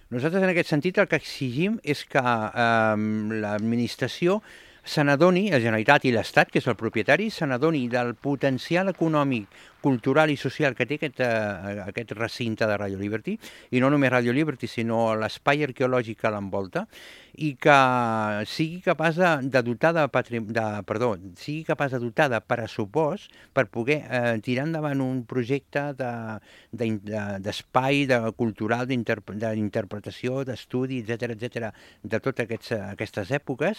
Nosaltres en aquest sentit el que exigim és que l'administració se n'adoni, la Generalitat i l'Estat, que és el propietari, se n'adoni del potencial econòmic, cultural i social que té aquest recinte de Radio Liberty, i no només Radio Liberty, sinó l'espai arqueològic que l'envolta, i que sigui capaç de dotar sigui capaç de dotar de pressupost per poder tirar endavant un projecte d'espai cultural, d'interpretació, d'estudi, etc de totes aquestes èpoques,